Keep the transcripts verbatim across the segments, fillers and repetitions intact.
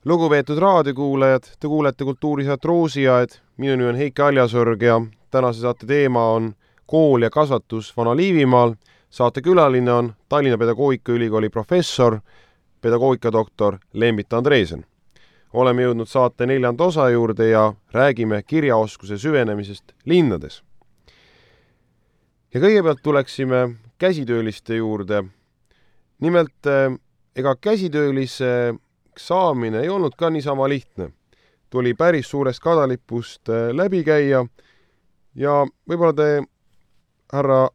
Lugupeetud raadiokuulajad, te kuulete kultuurisaat Roosiaed, minu nimi on Heiki Aljasorg ja tänase saate teema on kool ja kasvatus Vana-Liivimaal. Saate külaline on Tallinna Pedagoogikaülikooli professor, pedagoogikadoktor Lembit Andreesen. Oleme jõudnud saate neljanda osa juurde ja räägime kirjaoskuse süvenemisest linnades. Ja kõigepealt tuleksime käsitööliste juurde. Nimelt, ega käsitöölise saamine ei olnud ka niisama lihtne. Tuli päris suurest kadalipust läbi käia ja võib-olla te, härra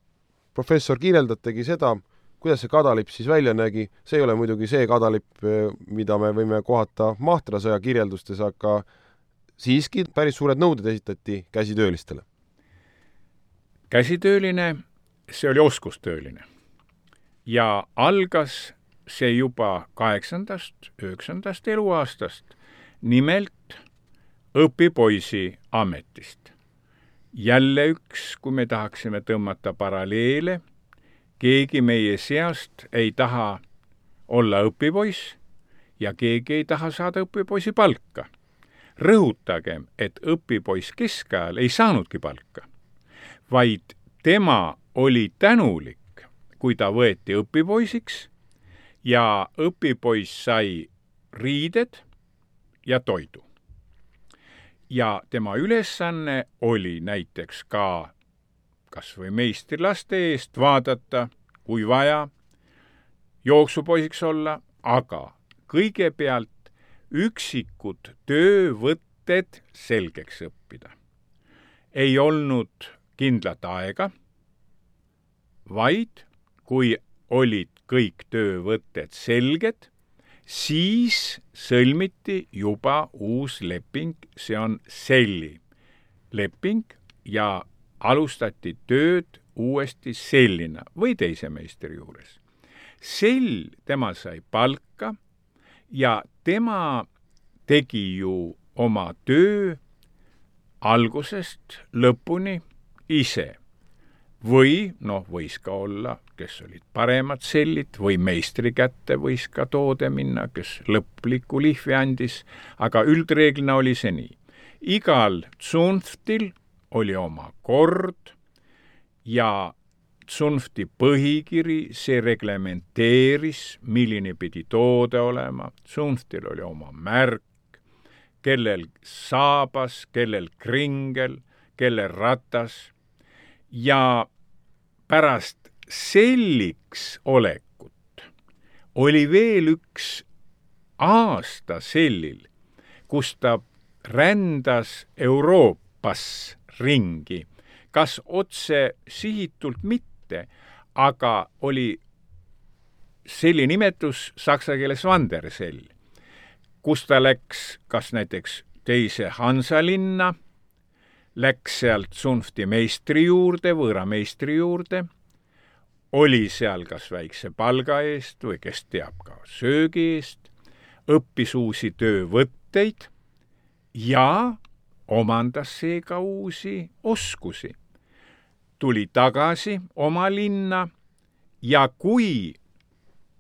professor, kirjeldategi seda, kuidas see kadalipp siis välja nägi. See ei ole muidugi see kadalipp, mida me võime kohata Mahtrasõja kirjeldustes, aga siiski päris suured nõuded esitati käsitöölistele. Käsitööline, see oli oskustööline ja algas see juba kaheksandast, üheksandast eluaastast, nimelt õpipoisi ametist. Jälle üks, kui me tahaksime tõmmata paralleele, keegi meie seast ei taha olla õpipoiss ja keegi ei taha saada õpipoisi palka. Rõhutagem, et õpipoiss keskajal ei saanudki palka, vaid tema oli tänulik, kui ta võeti õpipoisiks ja õpipoiss sai riided ja toidu. Ja tema ülesanne oli näiteks ka kas või meistrilaste eest vaadata, kui vaja, jooksupoisiks olla, aga kõigepealt üksikud töövõtted selgeks õppida. Ei olnud kindlat aega, vaid kui olid kõik töövõtted selged, siis sõlmiti juba uus leping, see on selli leping ja alustati tööd uuesti sellina või teise meistri juures. Sell, tema sai palka ja tema tegi ju oma töö algusest lõpuni ise. Või, noh, võis ka olla, kes olid paremad sellid, või meistri kätte võis ka toode minna, kes lõpliku lihvi andis, aga üldreeglina oli see nii. Igal tsunftil oli oma kord ja tsunfti põhikiri, see reglementeeris, milline pidi toode olema. Tsunftil oli oma märk, kellel saabas, kellel kringel, kellel ratas. Ja pärast selliks olekut oli veel üks aasta sellil, kus ta rändas Euroopas ringi, kas otse sihitult mitte, aga oli selli nimetus saksa keeles Wandersell, kus ta läks kas näiteks teise Hansalinna, läks sealt tsunfti meistri juurde, võõra meistri juurde, oli seal kas väikse palga eest või kes teab ka söögi eest, õppis uusi töövõtteid ja omandas seega uusi oskusi. Tuli tagasi oma linna ja kui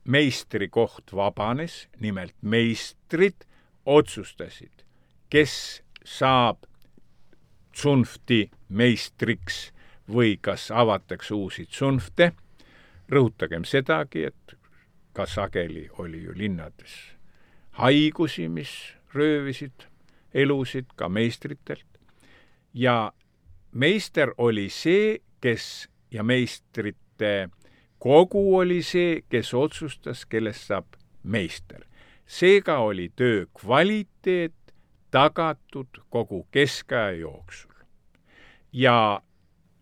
meistri koht vabanes, nimelt meistrid otsustasid, kes saab tsunfti meistriks või kas avatakse uusi tsunfte. Rõhutagem sedagi, et ka sageli oli ju linnades haigusi, mis röövisid elusid ka meistritelt. Ja meister oli see, kes ja meistrite kogu oli see, kes otsustas, kellest saab meister. Seega oli töö kvaliteet tagatud kogu keskaja jooksul. Ja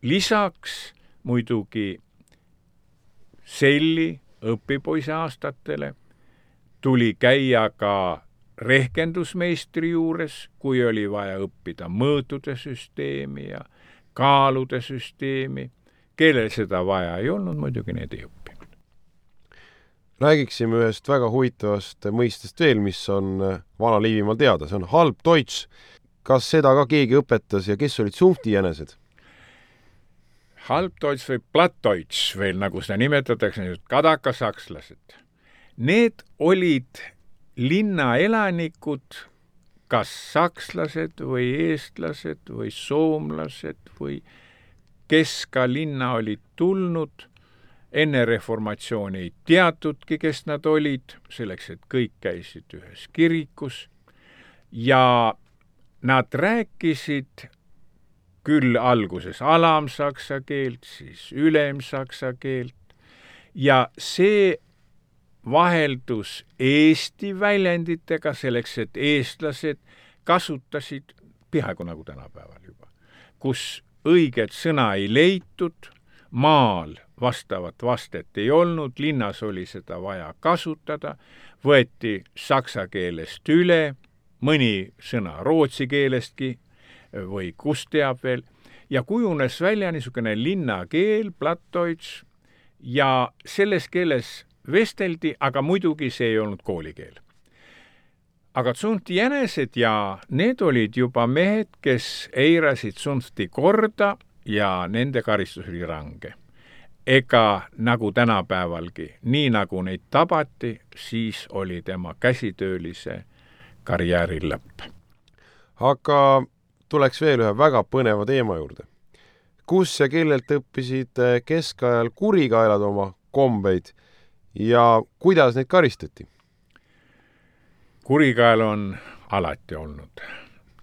lisaks muidugi selli õpipoisi aastatele tuli käia ka rehkendusmeistri juures, kui oli vaja õppida mõõtude süsteemi ja kaalude süsteemi. Kellel seda vaja ei olnud, muidugi need ei õppinud. Räägiksime ühest väga huvitavast mõistest veel, mis on Vana-Liivimaal teada. See on halb Deutsch. Kas seda ka keegi õpetas ja kes olid tsunfti jänesed? Halb Deutsch või Platt Deutsch veel, nagu seda nimetatakse, kadakasakslased. Need olid linnaelanikud, kas sakslased või eestlased või soomlased või kes ka linna olid tulnud, enne reformatsiooni ei teatudki, kes nad olid, selleks, et kõik käisid ühes kirikus ja nad rääkisid küll alguses alamsaksa keelt, siis ülemsaksa keelt ja see vaheldus eesti väljenditega selleks, et eestlased kasutasid peaaegu nagu tänapäeval juba, kus õiget sõna ei leitud, maal vastavat vastet ei olnud, linnas oli seda vaja kasutada, võeti saksa keelest üle, mõni sõna rootsi keelestki või kus teab veel, ja kujunes välja niisugune linnakeel, plattdeutsch, ja selles keeles vesteldi, aga muidugi see ei olnud koolikeel. Aga tsunfti jänesed ja need olid juba mehed, kes eirasid tsunfti korda ja nende karistus oli range. Ega nagu tänapäevalgi, nii nagu neid tabati, siis oli tema käsitöölise karjääri lõpp. Aga tuleks veel ühe väga põneva teema juurde. Kus ja kellelt õppisid keskajal kurikaelad oma kombeid ja kuidas neid karistati? Kurikael on alati olnud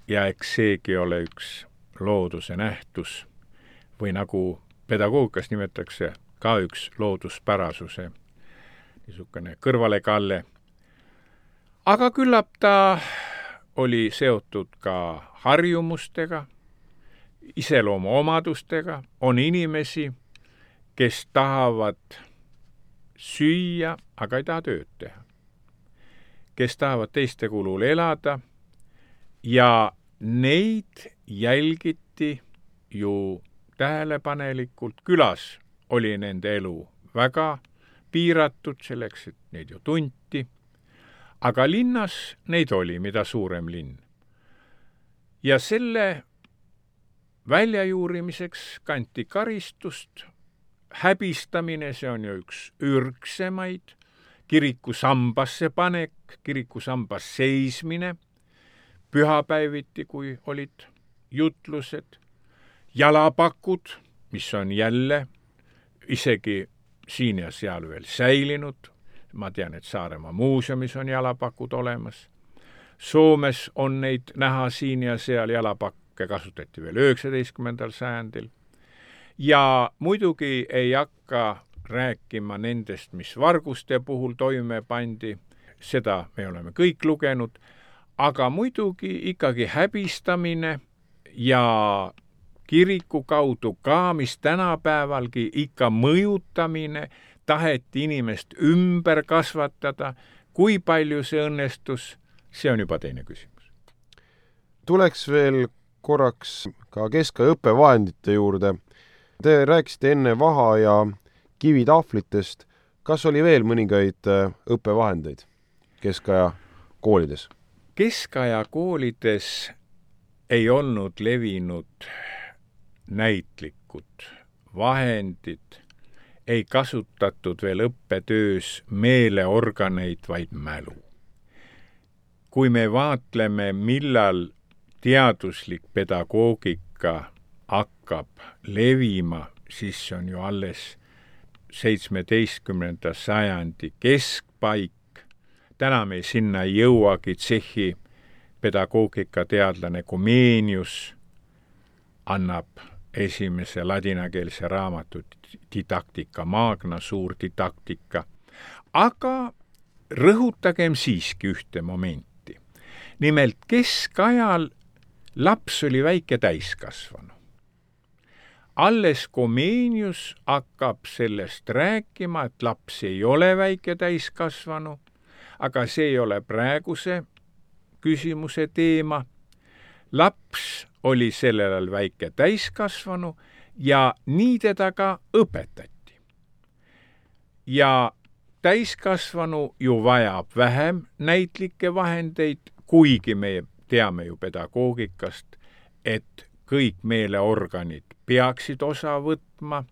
ja eks seegi ole üks looduse nähtus või nagu pedagoogikas nimetatakse ka üks looduspärasuse niisugune kõrvalekalle. Aga küllap ta oli seotud ka harjumustega, iseloomu omadustega, on inimesi, kes tahavad süüa, aga ei taha tööd teha. Kes tahavad teiste kulul elada ja neid jälgiti ju tähelepanelikult. Külas oli nende elu väga piiratud selleks, et neid ju tunti, aga linnas neid oli, mida suurem linn. Ja selle väljajuurimiseks kanti karistust, häbistamine, see on ju üks ürgsemaid, kiriku sambasse panek, kiriku sambas seismine, pühapäeviti, kui olid jutlused, jalapakud, mis on jälle isegi siin ja seal veel säilinud, ma tean, et Saaremaa muuseumis on jalapakud olemas, Soomes on neid näha siin ja seal, jalapakke kasutati veel üheksateistkümnendal sajandil ja muidugi ei hakka rääkima nendest, mis varguste puhul toime pandi, seda me oleme kõik lugenud, aga muidugi ikkagi häbistamine ja kiriku kaudu ka, mis tänapäevalgi ikka mõjutamine, taheti inimest ümber kasvatada, kui palju see õnnestus, see on juba teine küsimus. Tuleks veel korraks ka keskaja õppevahendite juurde. Te rääkisite enne vaha ja kivitahvlitest. Kas oli veel mõningaid õppevahendeid keskaja koolides? Keskaja koolides ei olnud levinud näitlikud vahendid, ei kasutatud veel õppetöös meeleorganeid, vaid mälu. Kui me vaatleme, millal teaduslik pedagoogika hakkab levima, siis see on ju alles seitsmeteistkümnenda sajandi keskpaik. Täna me sinna ei jõuagi. Tšehhi pedagoogikateadlane Comenius annab esimese ladinakeelse raamatu Didactica Magna, suur didaktika. Aga rõhutagem siiski ühte momenti. Nimelt keskajal laps oli väike täiskasvanu. Alles Comenius hakkab sellest rääkima, et laps ei ole väike täiskasvanu, aga see ei ole praeguse küsimuse teema. Laps oli sellel ajal väike täiskasvanu ja nii teda ka õpetati. Ja täiskasvanu ju vajab vähem näitlikke vahendeid, kuigi me teame ju pedagoogikast, et kõik meeleorganid peaksid osa võtma,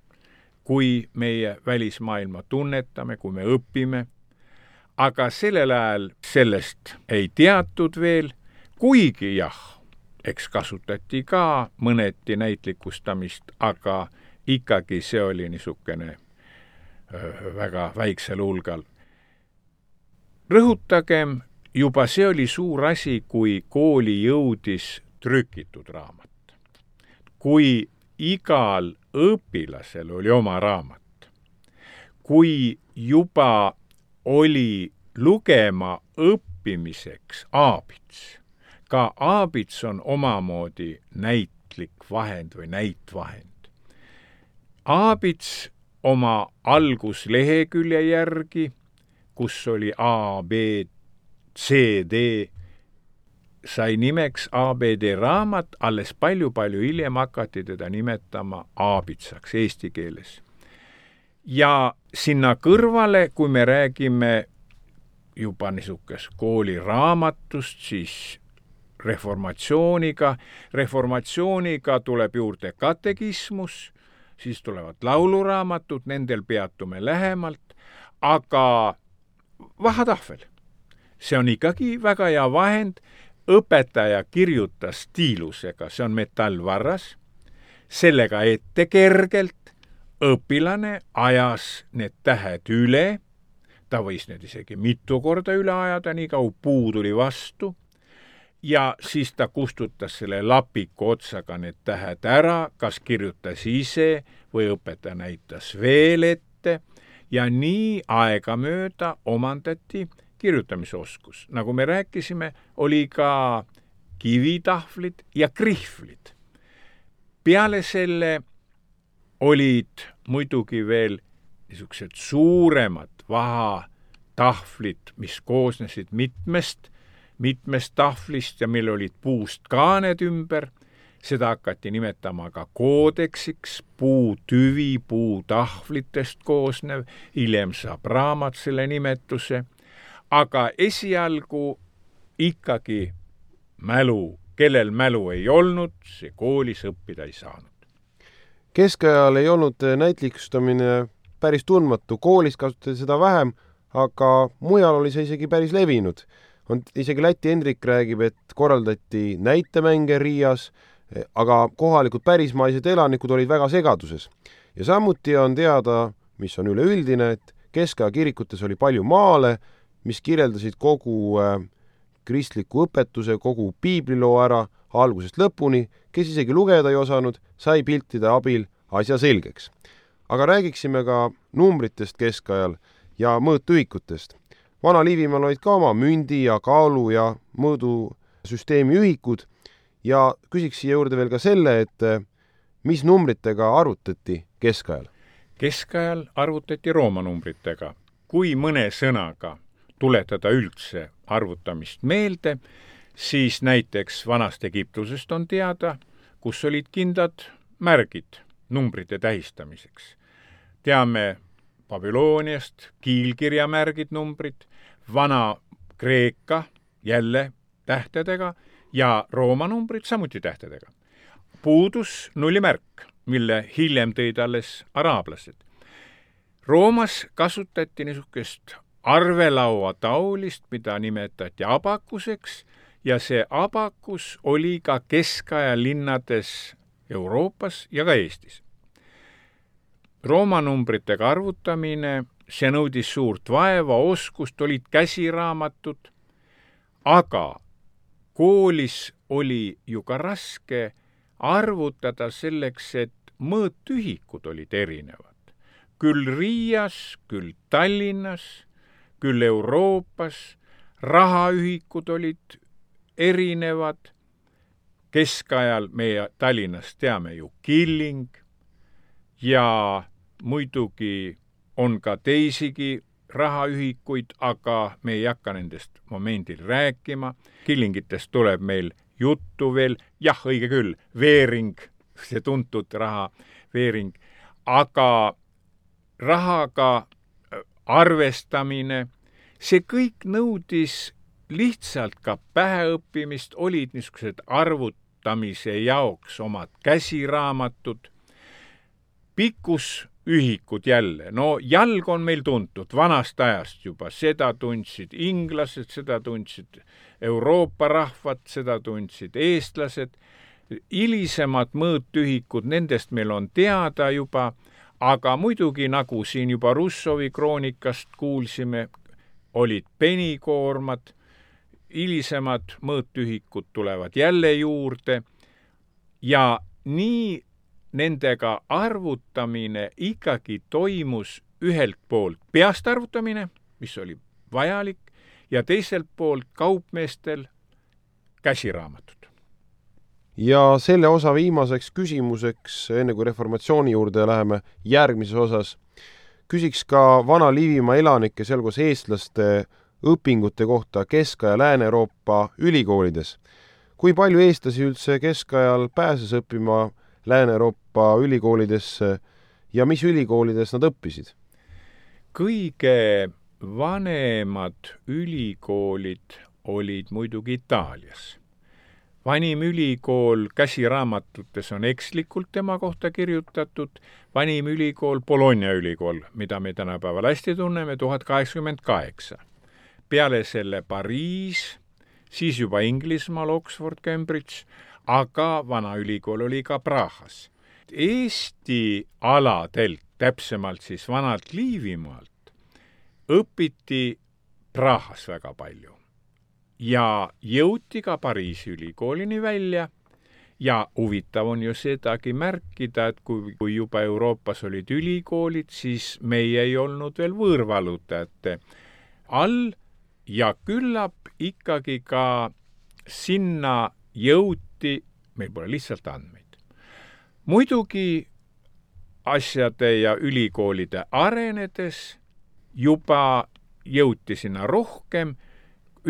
kui meie välismaailma tunnetame, kui me õpime. aga sellel ajal sellest ei teatud veel, kuigi jah, eks kasutati ka mõneti näitlikustamist, aga ikkagi see oli niisugune väga väiksel hulgal. Rõhutagem, juba see oli suur asi, kui kooli jõudis trükitud raamat. Kui igal õpilasel oli oma raamat, kui juba oli lugema õppimiseks aabits, ka aabits on omamoodi näitlik vahend või näitvahend. Aabits oma alguslehekülje järgi, kus oli A, B, C, D, sai nimeks A B D raamat, alles palju-palju hiljem hakati teda nimetama aabitsaks eesti keeles. Ja sinna kõrvale, kui me räägime juba niisugust kooliraamatust, siis reformatsiooniga, reformatsiooniga tuleb juurde katekismus, siis tulevad lauluraamatud, nendel peatume lähemalt, aga vahatahvel. See on ikkagi väga hea vahend, õpetaja kirjutas stiilusega, see on metallvarras, sellega ette kergelt, õpilane ajas need tähed üle, ta võis need isegi mitu korda üle ajada, nii kaua puu tuli vastu, ja siis ta kustutas selle lapiku otsaga need tähed ära, kas kirjutas ise või õpetaja näitas veel ette, ja nii aegamööda omandati kirjutamisoskus. Nagu me rääkisime, oli ka kivitahvlid ja krihvlid. Peale selle olid muidugi veel niisugused suuremad vahatahvlid, mis koosnesid mitmest, mitmest tahvlist ja meil olid puust kaaned ümber. Seda hakati nimetama ka koodeksiks, puutüvi, puutahvlitest koosnev, hiljem saab raamat selle nimetuse. Aga esialgu ikkagi mälu, kellel mälu ei olnud, see koolis õppida ei saanud. Keskajal ei olnud näitlikustamine päris tundmatu, koolis kasutati seda vähem, aga mujal oli see isegi päris levinud. On, isegi Läti Hendrik räägib, et korraldati näitemänge Riias, aga kohalikud pärismaised elanikud olid väga segaduses. Ja samuti on teada, mis on üleüldine, et keskaja kirikutes oli palju maale, mis kirjeldasid kogu äh, kristliku õpetuse, kogu piibliloo ära algusest lõpuni, kes isegi lugeda ei osanud, sai piltide abil asja selgeks. Aga räägiksime ka numbritest keskajal ja mõõtühikutest. Vana-Liivimaal olid ka oma mündi ja kaalu ja mõõdusüsteemi ühikud ja küsiks siia juurde veel ka selle, et mis numbritega arvutati keskajal? Keskajal arvutati Rooma numbritega. Kui mõne sõnaga tuletada üldse arvutamist meelde, siis näiteks vanast Egiptusest on teada, kus olid kindlad märgid numbrite tähistamiseks. Teame Babyloniast kiilkirjamärgid numbrid, vana Kreeka jälle tähtedega ja Rooma numbrid samuti tähtedega. Puudus nullimärk, mille hiljem tõid alles araablased. Roomas kasutati niisugust arvelaua taulist, mida nimetati abakuseks, ja see abakus oli ka keskaja linnades Euroopas ja ka Eestis. Rooma numbritega arvutamine, see nõudis suurt vaeva, oskust, olid käsiraamatud, aga koolis oli ju ka raske arvutada selleks, et mõõtühikud olid erinevad. Küll Riias, küll Tallinnas, küll Euroopas, rahaühikud olid erinevad. Keskajal meie Tallinnas teame ju killing ja muidugi on ka teisigi rahaühikuid, aga me ei hakka nendest momendil rääkima. Killingitest tuleb meil juttu veel, jah, õige küll, veering, see tuntud raha, veering, aga rahaga arvestamine, see kõik nõudis lihtsalt ka päheõppimist, olid niisugused arvutamise jaoks omad käsiraamatud. Pikkus ühikud jälle. No jalg on meil tuntud vanast ajast juba, seda tundsid inglased, seda tundsid Euroopa rahvad, seda tundsid eestlased. Hilisemad mõõtühikud, nendest meil on teada juba, aga muidugi nagu siin juba Russovi kroonikast kuulsime, olid penikoormad, hilisemad mõõtühikud tulevad jälle juurde ja nii nendega arvutamine ikkagi toimus ühelt poolt peast arvutamine, mis oli vajalik, ja teiselt poolt kaupmeestel käsiraamatud. Ja selle osa viimaseks küsimuseks, enne kui reformatsiooni juurde läheme järgmises osas, küsiks ka Vana-Liivimaa elanike, sealhulgas eestlaste õpingute kohta Kesk- ja Lääne-Euroopa ülikoolides. Kui palju eestlasi üldse keskajal pääses õppima Lääne-Euroopa ülikoolidesse ja mis ülikoolides nad õppisid? Kõige vanemad ülikoolid olid muidugi Itaalias. Vanim ülikool käsiraamatutes on ekslikult tema kohta kirjutatud, vanim ülikool Bologna ülikool, mida me tänapäeval hästi tunneme, tuhat kaheksakümmend kaheksa. Peale selle Pariis, siis juba Inglismaal, Oxford, Cambridge, aga vana ülikool oli ka Prahas. Eesti aladelt, täpsemalt siis vanalt Liivimaalt, õpiti Prahas väga palju. Ja jõuti ka Pariisi ülikoolini välja ja huvitav on ju sedagi märkida, et kui, kui juba Euroopas olid ülikoolid, siis meie ei olnud veel võõrvalutajate all ja küllap ikkagi ka sinna jõuti, meil pole lihtsalt andmeid. Muidugi asjade ja ülikoolide arenedes juba jõuti sinna rohkem.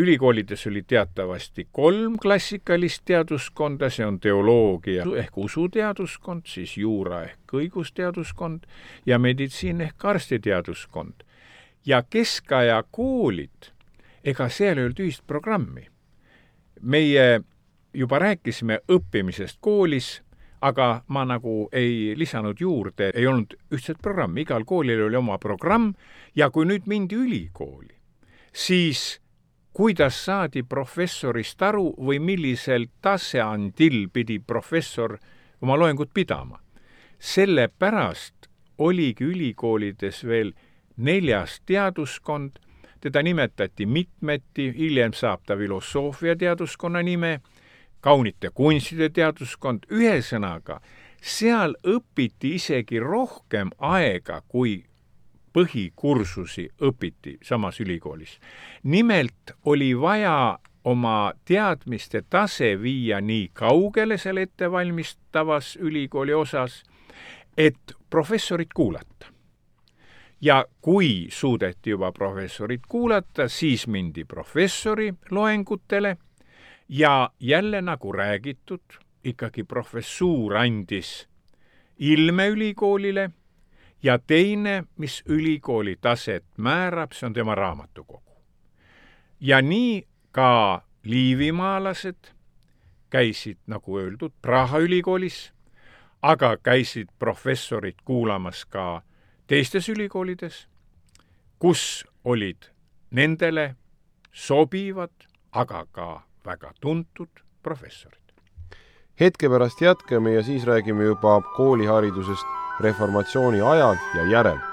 Ülikoolides oli teatavasti kolm klassikalist teaduskonda, see on teoloogia ehk usuteaduskond, siis juura ehk õigusteaduskond ja meditsiin ehk arstiteaduskond. Ja keskaja koolid, ega seal ei olnud ühist programmi. Meie juba rääkisime õppimisest koolis, aga ma nagu ei lisanud juurde, ei olnud ühtset programmi, igal koolil oli oma programm ja kui nüüd mindi ülikooli, siis kuidas saadi professorist aru või millisel taseandil pidi professor oma loengut pidama. Sellepärast oligi ülikoolides veel neljas teaduskond, teda nimetati mitmeti, hiljem saab ta filosoofia teaduskonna nime, kaunite kunstide teaduskond, ühesõnaga, seal õpiti isegi rohkem aega, kui põhikursusi õpiti samas ülikoolis. Nimelt oli vaja oma teadmiste tase viia nii kaugele selle ettevalmistavas ülikooli osas, et professorit kuulata. Ja kui suudeti juba professorit kuulata, siis mindi professori loengutele ja jälle nagu räägitud, ikkagi professuur andis ilme ülikoolile ja teine, mis ülikooli taset määrab, see on tema raamatukogu. Ja nii ka liivimaalased käisid, nagu öeldud, Praha ülikoolis, aga käisid professorid kuulamas ka teistes ülikoolides, kus olid nendele sobivad, aga ka väga tuntud professorid. Hetke pärast jätkame ja siis räägime juba kooliharidusest reformatsiooni ajal ja järel.